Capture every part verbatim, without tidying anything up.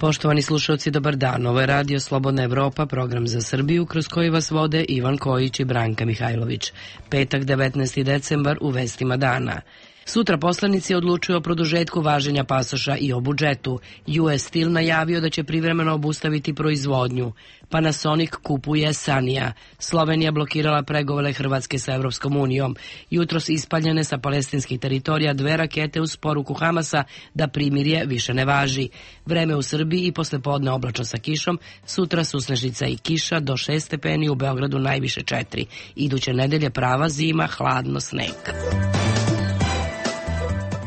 Poštovani slušalci, dobar dan. Ovo je Radio Slobodna Evropa, program za Srbiju, kroz koji vas vode Ivan Kojić i Branka Mihajlović. Petak, devetnaesti decembar, u vestima dana. Sutra poslanici odlučuju o produžetku važenja pasoša i o budžetu. U S Steel najavio da će privremeno obustaviti proizvodnju. Panasonic kupuje Sanija. Slovenija blokirala pregovore Hrvatske sa Evropskom unijom. Jutros ispaljene sa palestinskih teritorija dve rakete uz poruku Hamasa da primirje više ne važi. Vreme u Srbiji i poslepodne oblačno sa kišom. Sutra susnežica i kiša do šest stepeni, u Beogradu najviše četiri. Iduće nedelje prava zima, hladno, sneg.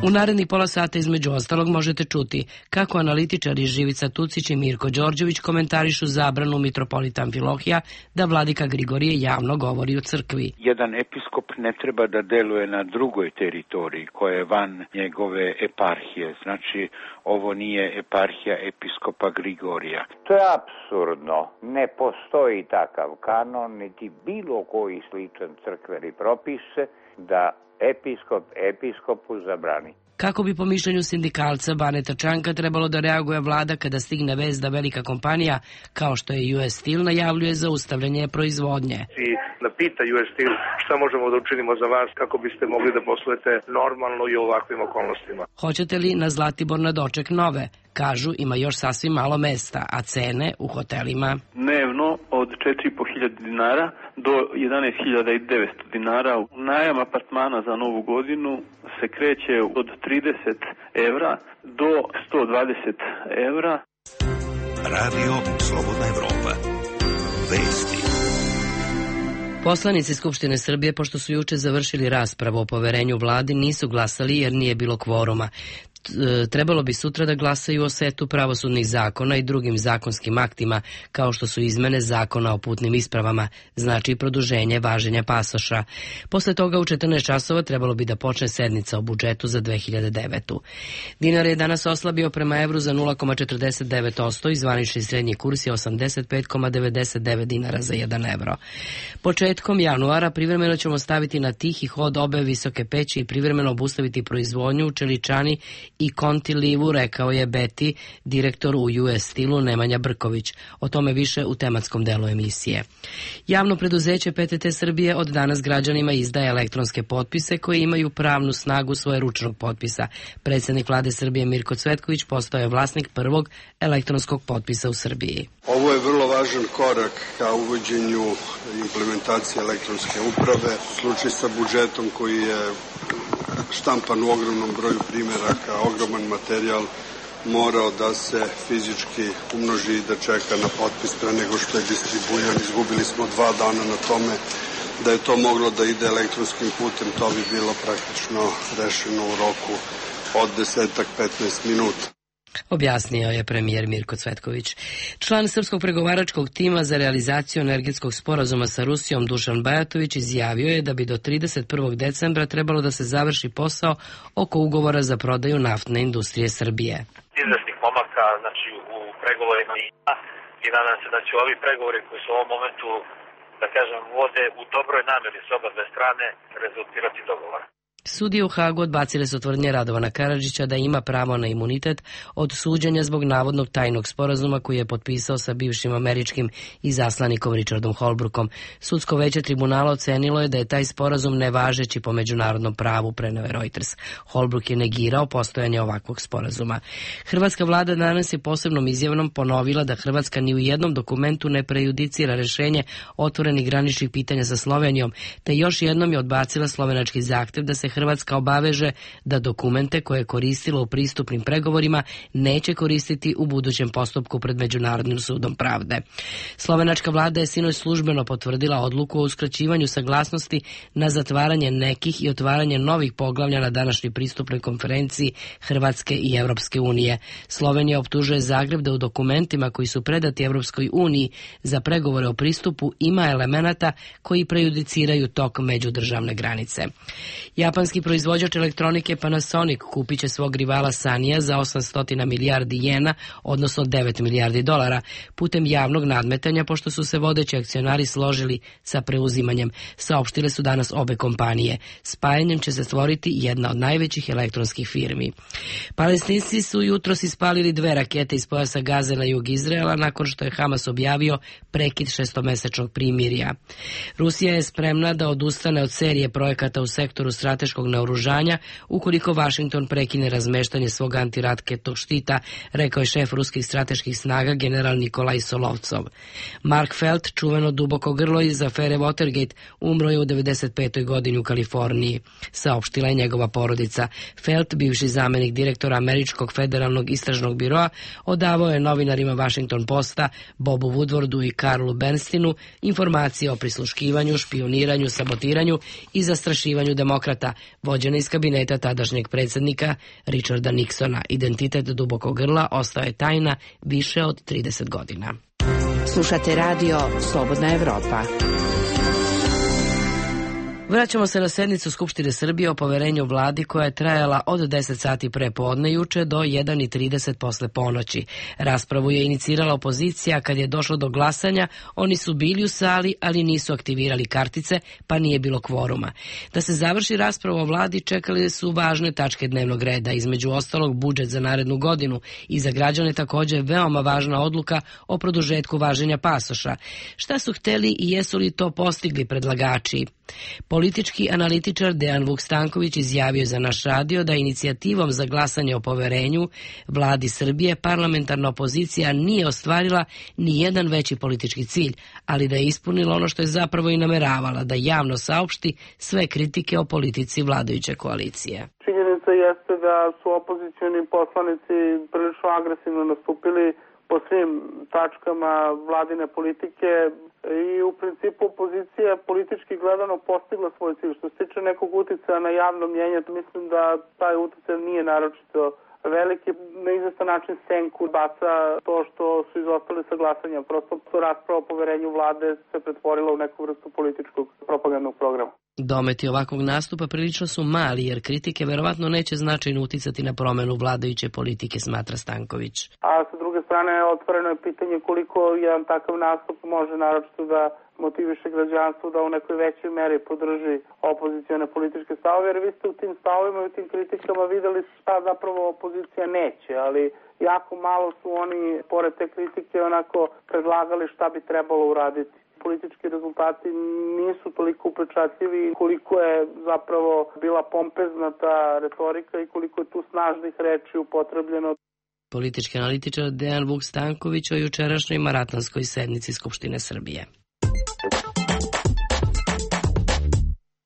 U narednih pola sata između ostalog možete čuti kako analitičari Živica Tucić i Mirko Đorđević komentarišu zabranu mitropolita Amfilohija da vladika Grigorije javno govori u crkvi. Jedan episkop ne treba da deluje na drugoj teritoriji koja je van njegove eparhije. Znači, ovo nije eparhija episkopa Grigorija. To je apsurdno. Ne postoji takav kanon, niti bilo koji sličan crkveni propis da episkop episkopu zabrani. Kako bi po mišljenju sindikalca Baneta Čanka trebalo da reaguje vlada kada stigne vest da velika kompanija, kao što je U S Steel, najavljuje zaustavljanje proizvodnje? I da pita U S Steel šta možemo da učinimo za vas kako biste mogli da poslujete normalno i u ovakvim okolnostima. Hoćete li na Zlatibor na doček nove? Kažu, ima još sasvim malo mesta, a cene u hotelima dnevno od četiri i po hiljade dinara do jedanaest hiljada devetsto dinara. Najam apartmana za novu godinu se kreće od trideset evra do sto dvadeset evra. Radio Slobodna Evropa. Vesti. Poslanici Skupštine Srbije, pošto su juče završili raspravu o poverenju vladi, nisu glasali jer nije bilo kvoruma. Trebalo bi sutra da glasaju o setu pravosudnih zakona i drugim zakonskim aktima, kao što su izmene zakona o putnim ispravama, znači produženje važenja pasoša. Posle toga u četrnaest časova trebalo bi da počne sednica o budžetu za dve hiljade devetu. Dinar je danas oslabio prema evru za nula zarez četrdeset devet posto i zvanični srednji kurs je osamdeset pet zarez devedeset devet dinara za jedan evro. Početkom januara privremeno ćemo staviti na tihi hod obe visoke peći i privremeno obustaviti proizvodnju u Čeličani i Kontilivu, rekao je Beti, direktor u U S Steelu Nemanja Brković. O tome više u tematskom delu emisije. Javno preduzeće P T T Srbije od danas građanima izdaje elektronske potpise koje imaju pravnu snagu svoje ručnog potpisa. Predsjednik vlade Srbije Mirko Cvetković postao je vlasnik prvog elektronskog potpisa u Srbiji. Ovo je vrlo važan korak ka uvođenju implementacije elektronske uprave. Slučaj sa budžetom koji je štampan u ogromnom broju primjeraka, ogroman materijal morao da se fizički umnoži i da čeka na potpis pre nego što je distribuiran. Izgubili smo dva dana na tome. Da je to moglo da ide elektronskim putem, to bi bilo praktično rešeno u roku od desetak do petnaest minuta. Objasnio je premijer Mirko Cvetković. Član srpskog pregovaračkog tima za realizaciju energetskog sporazuma sa Rusijom Dušan Bajatović izjavio je da bi do trideset prvog decembra trebalo da se završi posao oko ugovora za prodaju naftne industrije Srbije. Izvesnih pomaka, znači u pregovorima i nadam se da će ovi pregovori koji su u ovom momentu, da kažem, vode u dobroj nameri s oba dve strane rezultirati dogovor. Sudije u Hagu odbacile su tvrdnje Radovana Karadžića da ima pravo na imunitet od suđenja zbog navodnog tajnog sporazuma koji je potpisao sa bivšim američkim izaslanikom Richardom Holbrookom. Sudsko veće tribunala ocenilo je da je taj sporazum nevažeći po međunarodnom pravu, preneo je Reuters. Holbrook je negirao postojanje ovakvog sporazuma. Hrvatska vlada danas je posebnom izjavom ponovila da Hrvatska ni u jednom dokumentu ne prejudicira rešenje otvorenih graničnih pitanja sa Slovenijom, te još jednom je odbacila slovenački zahtev da se Hrvatska obaveže da dokumente koje je koristila u pristupnim pregovorima neće koristiti u budućem postupku pred Međunarodnim sudom pravde. Slovenačka vlada je sinoć službeno potvrdila odluku o uskraćivanju saglasnosti na zatvaranje nekih i otvaranje novih poglavlja na današnjoj pristupnoj konferenciji Hrvatske i Evropske unije. Slovenija optužuje Zagreb da u dokumentima koji su predati Evropskoj uniji za pregovore o pristupu ima elemenata koji prejudiciraju tok međudržavne granice. Japan Japanski proizvođač elektronike Panasonic kupit će svog rivala Sanija za osamsto milijardi jena, odnosno devet milijardi dolara, putem javnog nadmetanja, pošto su se vodeći akcionari složili sa preuzimanjem, saopštile su danas obe kompanije. Spajanjem će se stvoriti jedna od najvećih elektronskih firmi. Palestinci su jutros ispalili dve rakete iz pojasa Gaze na jug Izraela nakon što je Hamas objavio prekid šestomesečnog primirja. Rusija je spremna da odustane od serije projekata u sektoru strateškog naoružanja ukoliko Vašington prekine razmeštanje svog antiraketnog štita, rekao je šef ruskih strateških snaga general Nikolaj Solovcov. Mark Felt, čuveno duboko grlo iz afere Watergate, umro je u devedeset petoj godini u Kaliforniji, saopštila je njegova porodica. Felt, bivši zamenik direktora Američkog federalnog istražnog biroa, odavao je novinarima Washington Posta, Bobu Woodwardu i Karlu Bernsteinu informacije o prisluškivanju, špioniranju, sabotiranju i zastrašivanju demokrata, vođene iz kabineta tadašnjeg predsjednika Richarda Nixona. Identitet dubokog grla ostao je tajna više od trideset godina. Slušate radio Slobodna Evropa. Vraćamo se na sednicu Skupštine Srbije o poverenju vladi koja je trajala od deset sati pre podne juče do jedan i trideset posle ponoći. Raspravu je inicirala opozicija. Kad je došlo do glasanja, oni su bili u sali, ali nisu aktivirali kartice, pa nije bilo kvoruma. Da se završi rasprava o vladi, čekali su važne tačke dnevnog reda, između ostalog budžet za narednu godinu i za građane također veoma važna odluka o produžetku važenja pasoša. Šta su hteli i jesu li to postigli predlagači? Politički analitičar Dejan Vuk Stanković izjavio za naš radio da inicijativom za glasanje o poverenju vladi Srbije parlamentarna opozicija nije ostvarila ni jedan veći politički cilj, ali da je ispunila ono što je zapravo i nameravala, da javno saopšti sve kritike o politici vladajuće koalicije. Činjenica jeste da su opozicioni poslanici prilično agresivno nastupili po svim tačkama vladine politike i u principu opozicija politički gledano postigla svoj cilj. Što se tiče nekog uticaja na javno mnjenje, mislim da taj uticaj nije naročito veliki. Na izvestan način senku baca to što su izostali sa glasanja. Prosto rasprava o poverenju vlade se pretvorila u neku vrstu političkog propagandnog programa. Dometi ovakvog nastupa prilično su mali, jer kritike verovatno neće značajno uticati na promenu vladajuće politike, smatra Stanković. A sa druge strane, otvoreno je pitanje koliko jedan takav nastup može naročito da motiviše građanstvo da u nekoj većoj meri podrži opozicione političke stavove, jer vi ste u tim stavovima i u tim kritikama videli šta zapravo opozicija neće, ali jako malo su oni, pored te kritike, onako predlagali šta bi trebalo uraditi. Politički rezultati nisu toliko upečatljivi koliko je zapravo bila pompezna ta retorika i koliko je tu snažnih reči upotrebljeno. Politički analitičar Dejan Vuk Stanković o jučerašnjoj maratonskoj sednici Skupštine Srbije.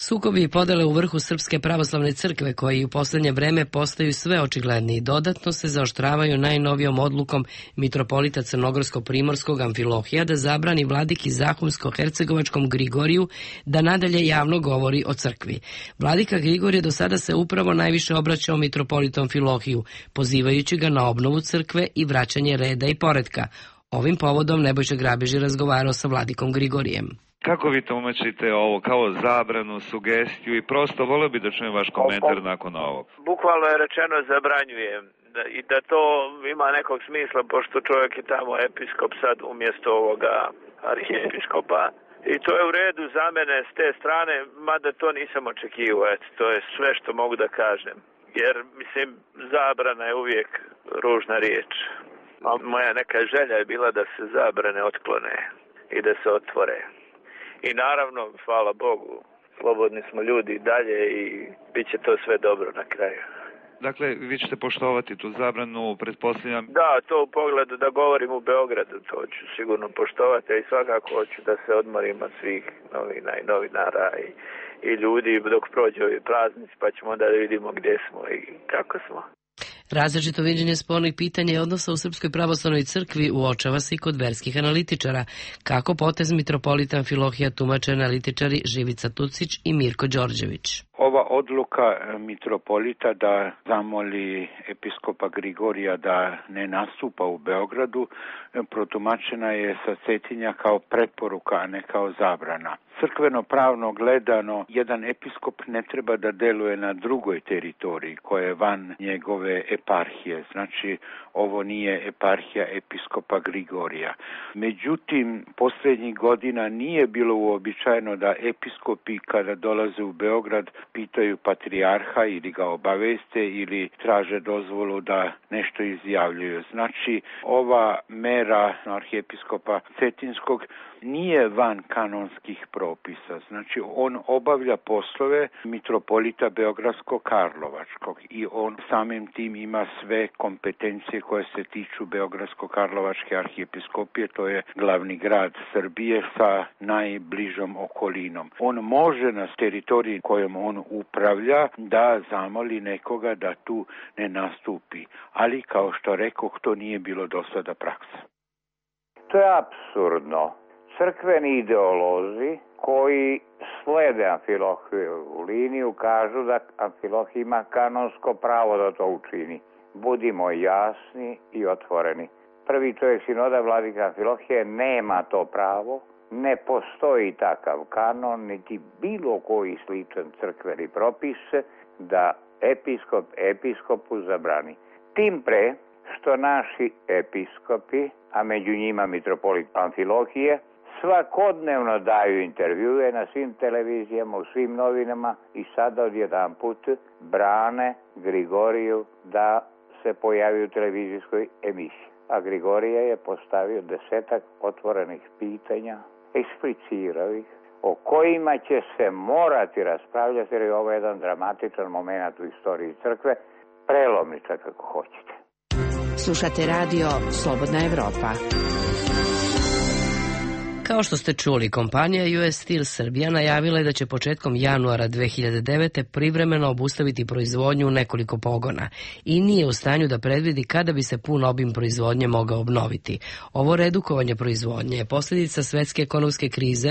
Sukobi i podele u vrhu Srpske pravoslavne crkve, koji u posljednje vreme postaju sve očigledniji, dodatno se zaoštravaju najnovijom odlukom mitropolita Crnogorsko-Primorskog Amfilohija da zabrani vladiki Zahumsko-Hercegovačkom Grigoriju da nadalje javno govori o crkvi. Vladika Grigorije do sada se upravo najviše obraćao mitropolitom Filohiju, pozivajući ga na obnovu crkve i vraćanje reda i poretka. Ovim povodom Nebojša Grabež je razgovarao sa vladikom Grigorijem. Kako vi tumačite ovo, kao zabranu, sugestiju i prosto volio bi da čujem vaš komentar nakon ovog? Bukvalno je rečeno zabranjujem da, i da to ima nekog smisla pošto čovjek je tamo episkop sad umjesto ovoga arhijepiskopa. I to je u redu za mene s te strane, mada to nisam očekivao, eto, to je sve što mogu da kažem. Jer, mislim, zabrana je uvijek ružna riječ. A moja neka želja je bila da se zabrane otklone i da se otvore. I naravno, hvala Bogu, slobodni smo ljudi i dalje i bit će to sve dobro na kraju. Dakle, vi ćete poštovati tu zabranu, pretpostavljam? Da, to u pogledu da govorim u Beogradu, to ću sigurno poštovati, a i svakako hoću da se odmorim od svih novina i novinara i, i ljudi dok prođe ovi praznici, pa ćemo onda da vidimo gdje smo i kako smo. Različito viđenje spornih pitanja i odnosa u Srpskoj pravoslavnoj crkvi uočava se i kod verskih analitičara. Kako potez mitropolita Amfilohija tumače analitičari Živica Tucić i Mirko Đorđević. Ova odluka mitropolita da zamoli episkopa Grigorija da ne nastupa u Beogradu protumačena je sa Cetinja kao preporuka, a ne kao zabrana. Crkveno pravno gledano, jedan episkop ne treba da deluje na drugoj teritoriji koja je van njegove eparhije. Znači, ovo nije eparhija episkopa Grigorija. Međutim, posljednjih godina nije bilo uobičajeno da episkopi kada dolaze u Beograd pitaju patrijarha ili ga obaveste ili traže dozvolu da nešto izjavljuju. Znači, ova mera arhijepiskopa Cetinskog nije van kanonskih propisa. Znači, on obavlja poslove mitropolita Beogradsko-Karlovačkog i on samim tim ima sve kompetencije koje se tiču Beogradsko-Karlovačke arhijepiskopije, to je glavni grad Srbije sa najbližom okolinom. On može na teritoriji kojom on upravlja da zamoli nekoga da tu ne nastupi, ali kao što rekoh, to nije bilo do sada praksa. To je apsurdno. Crkveni ideolozi koji slede Amfilohijevu liniju kažu da Amfilohije ima kanonsko pravo da to učini. Budimo jasni i otvoreni. Prvi čovjek sinoda, vladika Amfilohije, nema to pravo, ne postoji takav kanon, niti bilo koji sličan crkveni propis da episkop episkopu zabrani. Tim pre što naši episkopi, a među njima mitropolit Amfilohije, svakodnevno daju intervjue na svim televizijama, u svim novinama i sada odjedan put brane Grigoriju da se pojavi u televizijskoj emisiji. A Grigorije je postavio desetak otvorenih pitanja, eksplicirao ih, o kojima će se morati raspravljati, jer je ovo jedan dramatičan moment u istoriji crkve, prelomnica kako hoćete. Slušate radio Slobodna Evropa. Kao što ste čuli, kompanija U S Steel Srbija najavila je da će početkom januara dve hiljade devete. privremeno obustaviti proizvodnju u nekoliko pogona i nije u stanju da predvidi kada bi se pun obim proizvodnje mogao obnoviti. Ovo redukovanje proizvodnje je posljedica svetske ekonomske krize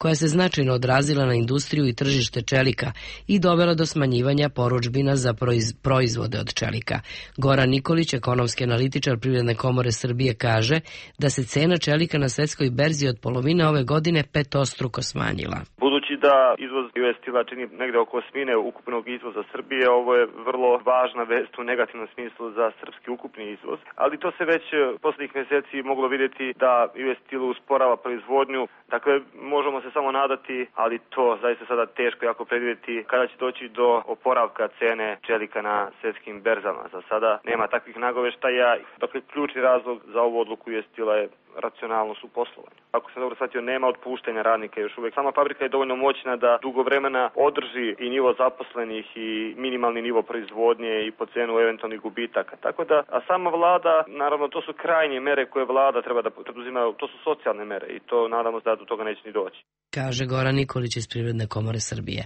koja se značajno odrazila na industriju i tržište čelika i dovela do smanjivanja porudžbina za proiz, proizvode od čelika. Goran Nikolić, ekonomski analitičar Privredne komore Srbije, kaže da se cena čelika na svetskoj berzi od polovine ove godine petostruko smanjila. Budući da izvoz U S Steel čini negde oko osmine ukupnog izvoza Srbije, ovo je vrlo važna vest u negativnom smislu za srpski ukupni izvoz, ali to se već poslednjih meseci moglo vidjeti da U S Steel usporava proizvodnju. Dakle, možemo se samo nadati, ali to zaista sada teško jako predvidjeti kada će doći do oporavka cene čelika na svjetskim berzama. Za sada nema takvih nagoveštaja. Dakle, ključni razlog za ovu odluku U S Steela je racionalnost u poslovanju. Ako sam dobro shvatio, nema otpuštanja radnika još uvek. Sama fabrika je dovoljno moćna da dugo vremena održi i nivo zaposlenih i minimalni nivo proizvodnje i po cenu eventualnih gubitaka. Tako da, a sama vlada, naravno, to su krajnje mere koje vlada treba da preduzima, to su socijalne mere i to nadamo se da do toga neće ni doći. Kaže Goran Nikolić iz Privredne komore Srbije.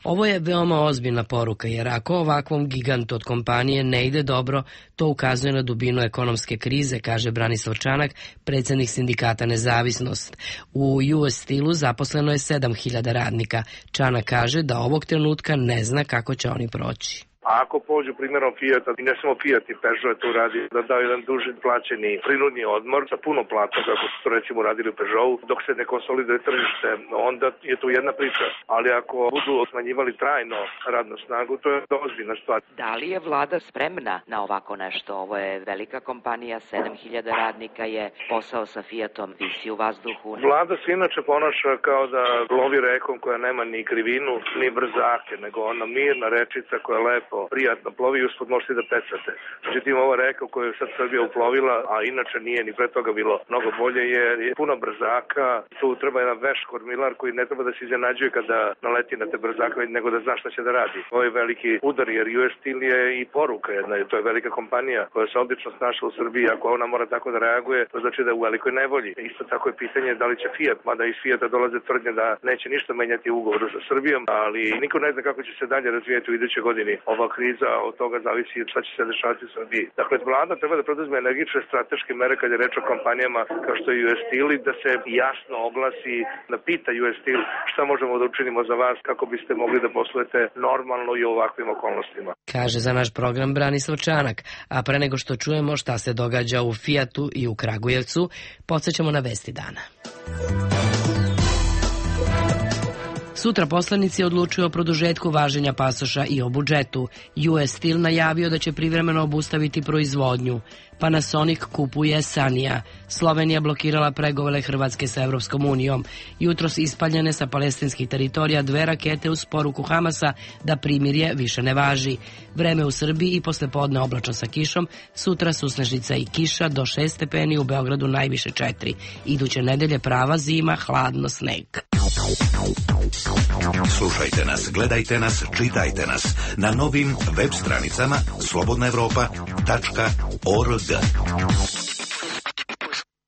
Ovo je veoma ozbiljna poruka, jer ako ovakvom gigantu od kompanije ne ide dobro, to ukazuje na dubinu ekonomske krize, kaže Branislav Čanak, predsjednik sindikata Nezavisnost. U U S Steelu zaposleno je sedam hiljada radnika. Čanak kaže da ovog trenutka ne zna kako će oni proći. A ako pođu primjerom Fijata, i ne samo Fijat i Peugeot to radi, da daju jedan duži plaćeni prinudni odmor sa puno plata, kako su to recimo radili u Peugeotu, dok se ne konsoliduje tržište, onda je to jedna priča. Ali ako budu smanjivali trajno radnu snagu, to je ozbiljna stvar. Da li je vlada spremna na ovako nešto? Ovo je velika kompanija, sedam hiljada radnika je, posao sa Fijatom visi u vazduhu. Vlada se inače ponaša kao da lovi rekom koja nema ni krivinu, ni brzake, nego ona mirna rečica koja lepo prijatno plovi i uspod možete da pecate. Međutim, ova reka u kojoj je sad Srbija uplovila, a inače nije ni pre toga bilo mnogo bolje, jer je puno brzaka. Tu treba jedan veš kormilar koji ne treba da se iznenađuje kada naleti na te brzake, nego da zna šta će da radi. Ovo je veliki udar, jer U S Steel je i poruka jedna. To je velika kompanija koja se odlično snašla u Srbiji. Ako ona mora tako da reaguje, to znači da je u velikoj nevolji. Isto tako je pitanje da li će Fiat, mada iz Fijata dolaze tvrdnje da neće ništa menjati u ugovoru sa Srbijom, ali niko ne zna kako će se dalje razvijeti u idućoj godini. Ova kriza, od toga zavisi šta će se dešavati u Srbiji. Dakle, vlada treba da preduzme energične strateške mere kad je reč o kompanijama kao što je U S Steel i da se jasno oglasi, da pita U S Steel šta možemo da učinimo za vas kako biste mogli da poslujete normalno i u ovakvim okolnostima. Kaže za naš program Branislav Čanak, a pre nego što čujemo šta se događa u Fijatu i u Kragujevcu, podsjećamo na vesti dana. Sutra poslanici odlučuju o produžetku važenja pasoša i o budžetu. U S Steel najavio da će privremeno obustaviti proizvodnju. Panasonic kupuje Sanija. Slovenija blokirala pregovore Hrvatske sa Evropskom unijom. Jutros ispaljene sa palestinskih teritorija dve rakete uz poruku Hamasa da primirje više ne važi. Vreme u Srbiji i poslepodne oblačno sa kišom, sutra susnežnica i kiša do šest stepeni, u Beogradu najviše četiri. Iduće nedelje prava zima, hladno, sneg. Slušajte nas, gledajte nas, čitajte nas na novim web stranicama slobodna evropa tačka org.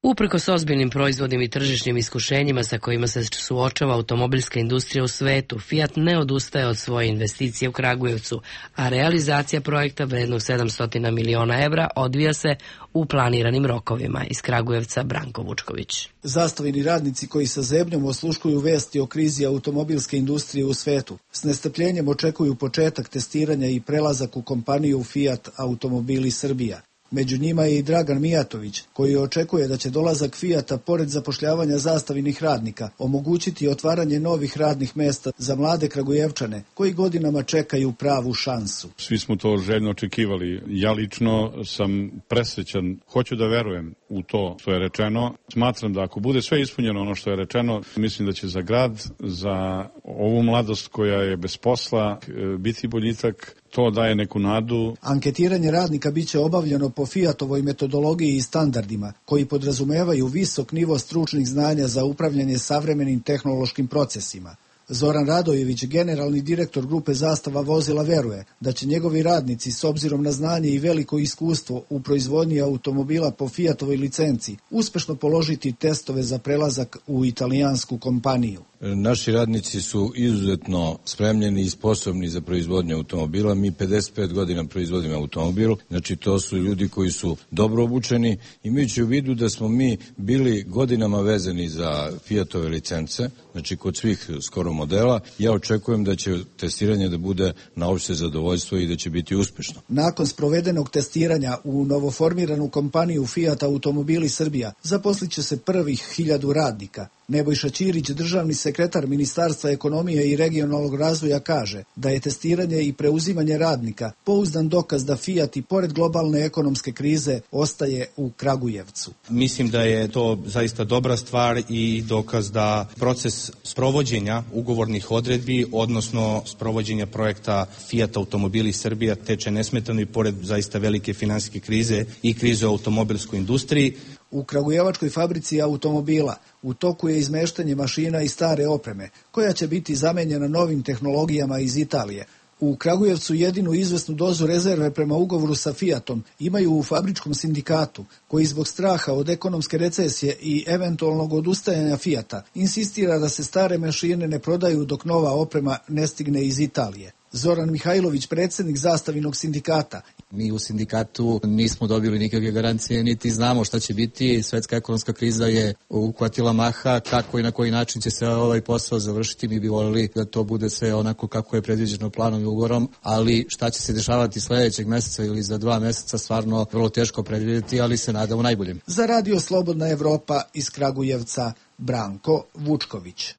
Uprkos ozbiljnim proizvodnim i tržišnim iskušenjima sa kojima se suočava automobilska industrija u svetu, Fiat ne odustaje od svoje investicije u Kragujevcu, a realizacija projekta vrednog sedamsto miliona evra odvija se u planiranim rokovima. Iz Kragujevca Branko Vučković. Zastavini radnici koji sa zebnjom osluškuju vesti o krizi automobilske industrije u svetu, s nestrpljenjem očekuju početak testiranja i prelazak u kompaniju Fiat Automobili Srbija. Među njima je i Dragan Mijatović, koji očekuje da će dolazak Fijata, pored zapošljavanja zastavinih radnika, omogućiti otvaranje novih radnih mesta za mlade Kragujevčane, koji godinama čekaju pravu šansu. Svi smo to željno očekivali. Ja lično sam presrećan, hoću da verujem u to što je rečeno. Smatram da ako bude sve ispunjeno ono što je rečeno, mislim da će za grad, za ovu mladost koja je bez posla, biti boljitak. To daje neku nadu. Anketiranje radnika biće obavljeno po Fiatovoj metodologiji i standardima, koji podrazumevaju visok nivo stručnih znanja za upravljanje savremenim tehnološkim procesima. Zoran Radojević, generalni direktor grupe Zastava vozila, veruje da će njegovi radnici, s obzirom na znanje i veliko iskustvo u proizvodnji automobila po Fiatovoj licenci, uspešno položiti testove za prelazak u italijansku kompaniju. Naši radnici su izuzetno spremljeni i sposobni za proizvodnju automobila. Mi pedeset pet godina proizvodimo automobil, znači to su ljudi koji su dobro obučeni, imajući u vidu da smo mi bili godinama vezani za Fiatove licence, znači kod svih skoro modela. Ja očekujem da će testiranje da bude na opšte zadovoljstvo i da će biti uspešno. Nakon sprovedenog testiranja u novoformiranu kompaniju Fiat Automobili Srbija zaposlit će se prvih hiljadu radnika. Nebojša Ćirić, državni sekretar Ministarstva ekonomije i regionalnog razvoja, kaže da je testiranje i preuzimanje radnika pouzdan dokaz da Fiat i pored globalne ekonomske krize ostaje u Kragujevcu. Mislim da je to zaista dobra stvar i dokaz da proces sprovođenja ugovornih odredbi, odnosno sprovođenja projekta Fiat Automobili Srbija teče nesmetano i pored zaista velike finansijske krize i krize u automobilskoj industriji. U Kragujevačkoj fabrici automobila u toku je izmeštanje mašina i stare opreme, koja će biti zamenjena novim tehnologijama iz Italije. U Kragujevcu jedinu izvesnu dozu rezerve prema ugovoru sa Fiatom imaju u fabričkom sindikatu, koji zbog straha od ekonomske recesije i eventualnog odustajanja Fiata insistira da se stare mašine ne prodaju dok nova oprema ne stigne iz Italije. Zoran Mihajlović, predsjednik Zastavinog sindikata. Mi u sindikatu nismo dobili nikakve garancije, niti znamo šta će biti. Svetska ekonomska kriza je uhvatila maha, kako i na koji način će se ovaj posao završiti. Mi bi voljeli da to bude sve onako kako je predviđeno planom i ugovorom, ali šta će se dešavati sljedećeg mjeseca ili za dva mjeseca stvarno vrlo teško predvidjeti, ali se nadamo najboljem. Za Radio Slobodna Evropa iz Kragujevca, Branko Vučković.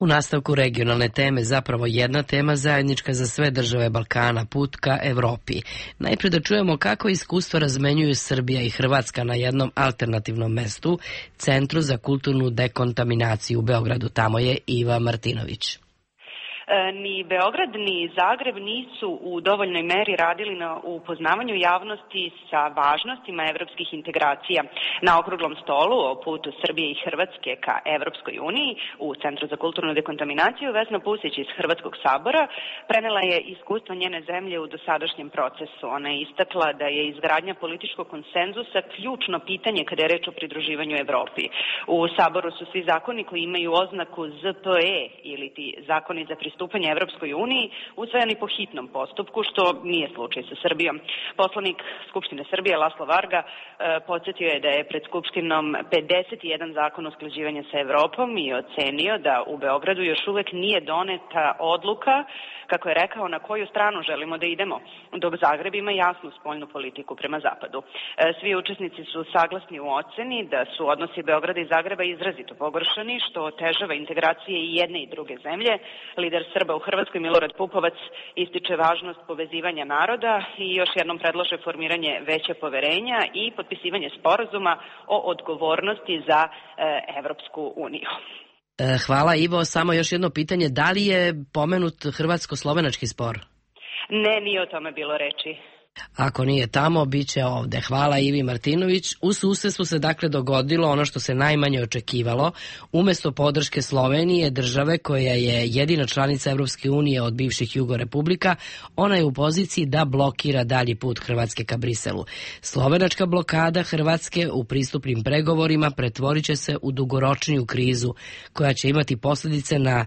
U nastavku regionalne teme, zapravo jedna tema zajednička za sve države Balkana, put ka Evropi. Najprije da čujemo kako iskustva razmenjuju Srbija i Hrvatska na jednom alternativnom mestu, Centru za kulturnu dekontaminaciju u Beogradu. Tamo je Iva Martinović. Ni Beograd ni Zagreb nisu u dovoljnoj meri radili na upoznavanju javnosti sa važnostima evropskih integracija. Na okruglom stolu o putu Srbije i Hrvatske ka Evropskoj uniji u Centru za kulturnu dekontaminaciju Vesna Pusić iz Hrvatskog sabora prenela je iskustvo njene zemlje u dosadašnjem procesu. Ona je istakla da je izgradnja političkog konsenzusa ključno pitanje kada je reč o pridruživanju Evropi. U saboru su svi zakoni koji imaju oznaku Z P E ili ti zakoni za pristupanje pristupanja Evropskoj uniji usvajani po hitnom postupku, što nije slučaj sa Srbijom. Poslanik Skupštine Srbije Laslo Varga e, podsjetio je da je pred Skupštinom pedeset jedan zakon usklađivanja sa Evropom i ocenio da u Beogradu još uvek nije doneta odluka, kako je rekao, na koju stranu želimo da idemo, dok Zagreb ima jasnu spoljnu politiku prema zapadu. E, svi učesnici su saglasni u oceni da su odnosi Beograda i Zagreba izrazito pogoršani, što otežava integracije i jedne i druge zemlje. Lider Srba u Hrvatskoj Milorad Pupovac ističe važnost povezivanja naroda i još jednom predlaže formiranje veće poverenja i potpisivanje sporazuma o odgovornosti za e, Evropsku uniju. Hvala Ivo, samo još jedno pitanje, da li je pomenut hrvatsko-slovenački spor? Ne, nije o tome bilo reči. Ako nije tamo, bit će ovde. Hvala Ivi Martinović. U susjedstvu se dakle dogodilo ono što se najmanje očekivalo. Umesto podrške Slovenije, države koja je jedina članica Evropske unije od bivših Jugorepublika, ona je u poziciji da blokira dalji put Hrvatske ka Briselu. Slovenačka blokada Hrvatske u pristupnim pregovorima pretvorit će se u dugoročniju krizu koja će imati posljedice na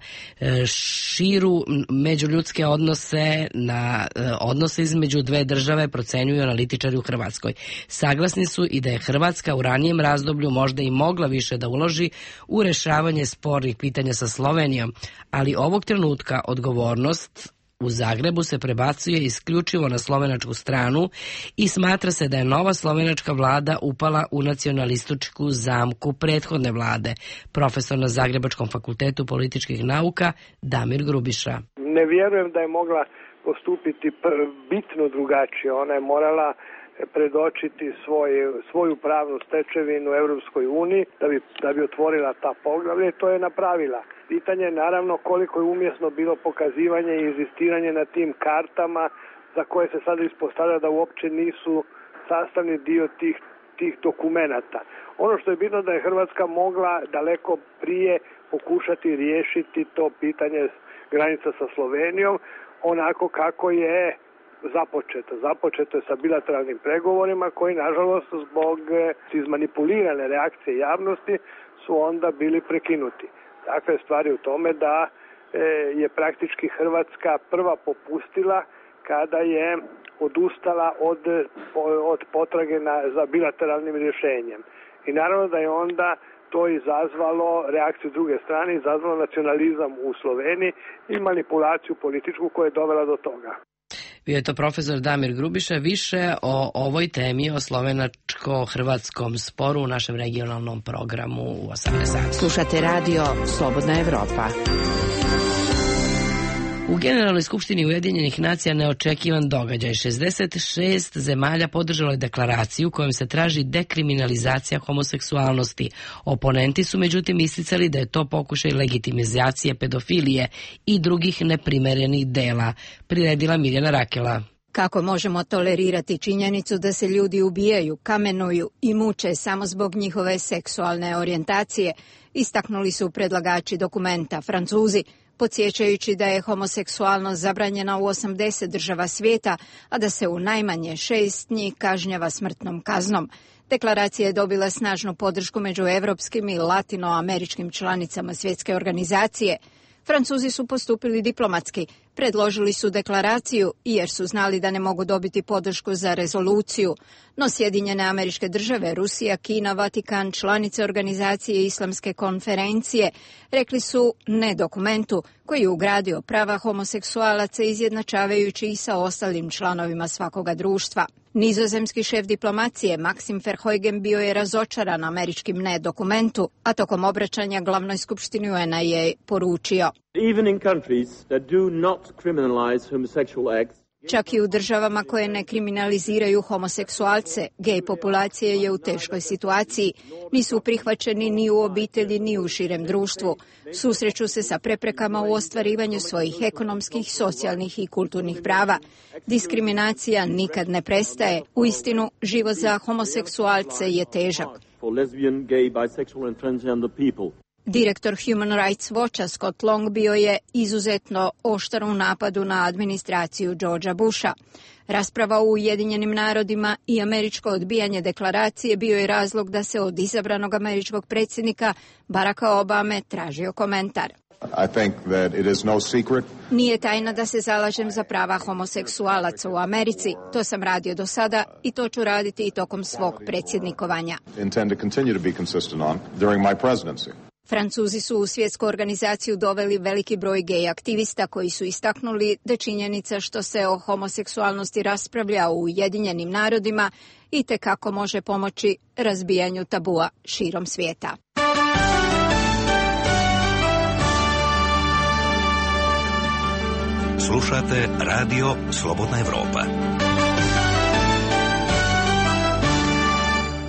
širu međuljudske odnose, na odnose između dve države, procenjuju analitičari u Hrvatskoj. Saglasni su i da je Hrvatska u ranijem razdoblju možda i mogla više da uloži u rešavanje spornih pitanja sa Slovenijom, ali ovog trenutka odgovornost u Zagrebu se prebacuje isključivo na slovenačku stranu i smatra se da je nova slovenačka vlada upala u nacionalističku zamku prethodne vlade. Profesor na Zagrebačkom fakultetu političkih nauka Damir Grubiša. Ne vjerujem da je mogla postupiti bitno drugačije. Ona je morala predočiti svoj, svoju pravnu stečevinu u Europskoj uniji da bi, da bi otvorila ta poglavlja i to je napravila. Pitanje je naravno koliko je umjesno bilo pokazivanje i inzistiranje na tim kartama za koje se sada ispostavlja da uopće nisu sastavni dio tih, tih dokumenata. Ono što je bitno da je Hrvatska mogla daleko prije pokušati riješiti to pitanje granica sa Slovenijom, onako kako je započeto. Započeto je sa bilateralnim pregovorima koji, nažalost, zbog izmanipulirane reakcije javnosti su onda bili prekinuti. Dakle, stvar je u tome da je praktički Hrvatska prva popustila kada je odustala od, od potrage na, za bilateralnim rješenjem. I naravno da je onda to izazvalo reakciju druge strane, izazvalo nacionalizam u Sloveniji i manipulaciju političku koja je dovela do toga. Bio je to profesor Damir Grubiša. Više o ovoj temi, o slovenačko-hrvatskom sporu u našem regionalnom programu u osamnaest sati. Slušate radio Slobodna Evropa. U Generalnoj skupštini Ujedinjenih nacija neočekivan događaj. šezdeset šest zemalja podržalo je deklaraciju kojom se traži dekriminalizacija homoseksualnosti. Oponenti su međutim isticali da je to pokušaj legitimizacije pedofilije i drugih neprimerenih dela. Priredila Mirjana Rakela. Kako možemo tolerirati činjenicu da se ljudi ubijaju, kamenuju i muče samo zbog njihove seksualne orijentacije, istaknuli su predlagači dokumenta Francuzi, podsjećajući da je homoseksualnost zabranjena u osamdeset država svijeta, a da se u najmanje šest njih kažnjava smrtnom kaznom. Deklaracija je dobila snažnu podršku među evropskim i latinoameričkim članicama svjetske organizacije. Francuzi su postupili diplomatski, predložili su deklaraciju jer su znali da ne mogu dobiti podršku za rezoluciju, no Sjedinjene Američke Države, Rusija, Kina, Vatikan, članice organizacije Islamske konferencije rekli su ne dokumentu koji je ugradio prava homoseksualaca izjednačavajući ih sa ostalim članovima svakoga društva. Nizozemski šef diplomacije Maxim Verheugen bio je razočaran američkim ne dokumentu, a tokom obraćanja glavnoj skupštini U N-a je poručio: Even in countries that do not criminalize homosexual acts, čak i u državama koje ne kriminaliziraju homoseksualce, gej populacija je u teškoj situaciji. Nisu prihvaćeni ni u obitelji, ni u širem društvu. Susreću se sa preprekama u ostvarivanju svojih ekonomskih, socijalnih i kulturnih prava. Diskriminacija nikad ne prestaje. Uistinu, život za homoseksualce je težak. Direktor Human Rights Watcha Scott Long bio je izuzetno oštar u napadu na administraciju Georgea Busha. Rasprava u Ujedinjenim narodima i američko odbijanje deklaracije bio je razlog da se od izabranog američkog predsjednika Baracka Obame tražio komentar. I think that it is no secret. Nije tajna da se zalažem za prava homoseksualaca u Americi. To sam radio do sada i to ću raditi i tokom svog predsjednikovanja. Intend to continue to be consistent on during my presidency. Francuzi su u svjetsku organizaciju doveli veliki broj gej aktivista koji su istaknuli da činjenica što se o homoseksualnosti raspravlja u Ujedinjenim narodima i te kako može pomoći razbijanju tabua širom svijeta. Slušate Radio Slobodna Evropa.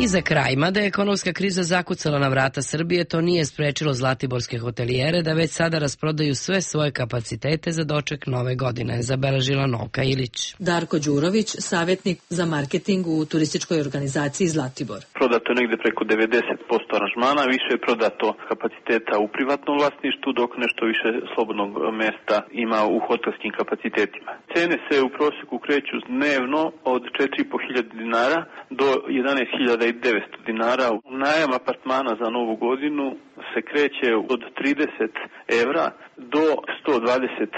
I za kraj, mada je ekonomska kriza zakucala na vrata Srbije, to nije sprečilo zlatiborske hotelijere da već sada rasprodaju sve svoje kapacitete za doček nove godine, zabeležila Novka Ilić. Darko Đurović, savjetnik za marketing u turističkoj organizaciji Zlatibor. Prodato je negde preko devedeset posto aranžmana, više je prodato kapaciteta u privatnom vlasništvu, dok nešto više slobodnog mesta ima u hotelskim kapacitetima. Cene se u prosjeku kreću dnevno od četiri i po hiljade dinara do jedanaest hiljada devetsto dinara. Najam apartmana za novu godinu se kreće od trideset evra do sto dvadeset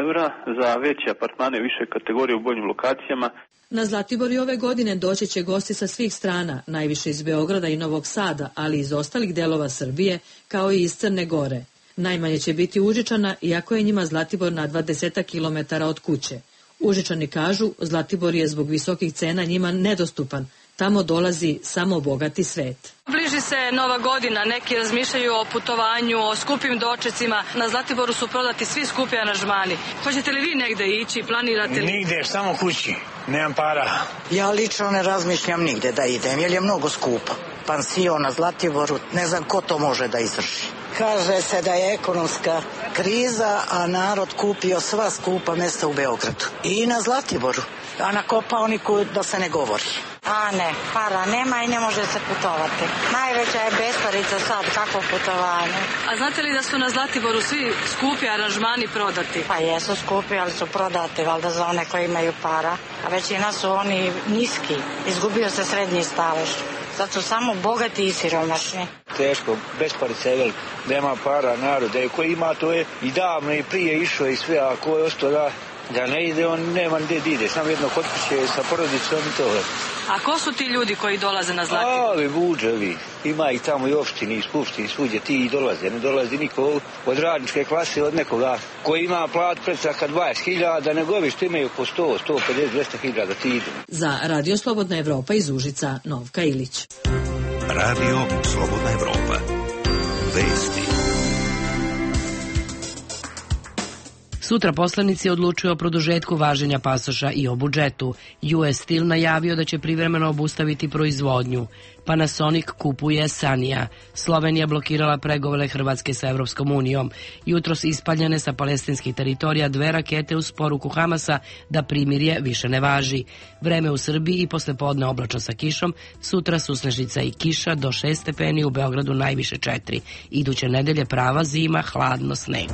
evra za veće apartmane više kategorije u boljim lokacijama. Na Zlatibor i ove godine doći će gosti sa svih strana, najviše iz Beograda i Novog Sada, ali i iz ostalih delova Srbije, kao i iz Crne Gore. Najmanje će biti Užičana, iako je njima Zlatibor na dvadeset kilometara od kuće. Užičani kažu, Zlatibor je zbog visokih cena njima nedostupan. Tamo dolazi samo bogati svet. Bliži se Nova godina, neki razmišljaju o putovanju, o skupim dočecima. Na Zlatiboru su prodati svi skupi aranžmani. Hoćete li vi negde ići, planirate li? Nigde, samo kući, nemam para. Ja lično ne razmišljam nigde da idem, jer je mnogo skupo. Pansion na Zlatiboru, ne znam ko to može da izvrši. Kaže se da je ekonomska kriza, a narod kupio sva skupa mesta u Beogradu. I na Zlatiboru, a na Kopaoniku da se ne govori. A ne, para nema i ne može se putovati. Najveća je besparica sad, kakvo putovanje. A znate li da su na Zlatiboru svi skupi aranžmani prodati? Pa jesu skupi, ali su prodati, valjda za one koji imaju para. A većina su oni niski, izgubio se srednji stalež. Sad su samo bogati i siromašni. Teško, besparica je velika, nema para narod, da ko ima to je i davno i prije išao i sve, a ko je ostao da, da ne ide, on nema gdje ide, samo jedno kod kuće sa porodicom i to. A ko su ti ljudi koji dolaze na Zlatibor? Ali buđevi, ima ih tamo i opštini, i skupštini, svugdje ti i dolaze, ne dolazi niko od radničke klase, od nekoga koji ima plat predsaka dvadeset hiljada, nego ovi što imaju po sto, sto pedeset, dvesta hiljada ti idu. Za Radio Slobodna Evropa iz Užica, Novka Ilić. Radio Slobodna Evropa. Vesti. Sutra poslanici odlučuju o produžetku važenja pasoša i o budžetu. U S Steel najavio da će privremeno obustaviti proizvodnju. Panasonic kupuje Sanija. Slovenija blokirala pregovore Hrvatske sa Evropskom unijom. Jutros ispaljene sa palestinskih teritorija dve rakete uz poruku Hamasa da primirje više ne važi. Vreme u Srbiji i poslepodne oblačno sa kišom. Sutra susnežica i kiša do šest stepeni, u Beogradu najviše četiri. Iduće nedelje prava zima, hladno, sneg.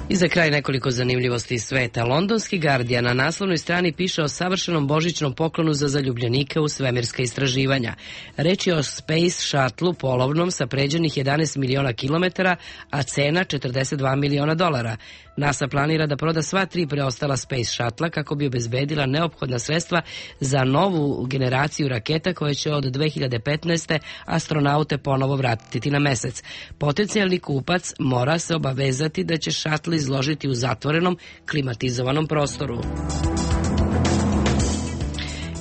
I za kraj nekoliko zanimljivosti iz sveta. Londonski Guardian na naslovnoj strani piše o savršenom božićnom poklonu za zaljubljenike u svemirska istraživanja. Reč je o Space Shuttle polovnom sa pređenih jedanaest miliona kilometara, a cena četrdeset dva miliona dolara. NASA planira da proda sva tri preostala Space Shuttle kako bi obezbedila neophodna sredstva za novu generaciju raketa koje će od dve hiljade petnaeste. astronaute ponovo vratiti na mesec. Potencijalni kupac mora se obavezati da će šatl izložiti u zatvorenom, klimatizovanom prostoru.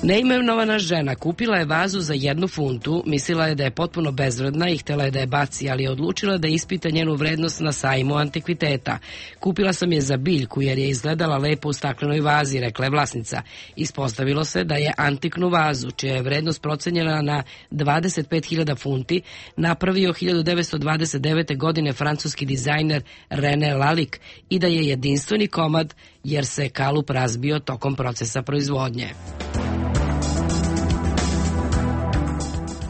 Neimenovana žena kupila je vazu za jednu funtu, mislila je da je potpuno bezvredna i htjela je da je baci, ali je odlučila da ispita njenu vrednost na sajmu antikviteta. Kupila sam je za biljku jer je izgledala lepo u staklenoj vazi, rekla je vlasnica. Ispostavilo se da je antiknu vazu, čija je vrednost procenjena na dvadeset pet hiljada funti, napravio hiljadu devetsto dvadeset devete. godine francuski dizajner René Lalique i da je jedinstveni komad jer se kalup razbio tokom procesa proizvodnje.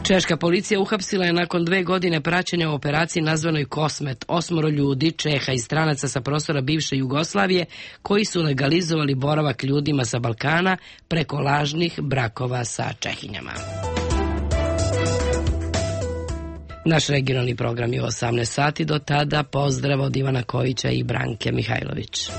Češka policija uhapsila je nakon dve godine praćenja u operaciji nazvanoj Kosmet osmoro ljudi, Čeha i stranaca sa prostora bivše Jugoslavije, koji su legalizovali boravak ljudima sa Balkana preko lažnih brakova sa Čehinjama. Naš regionalni program je u osamnaest sati, do tada pozdrav od Ivana Kojića i Branke Mihajlović.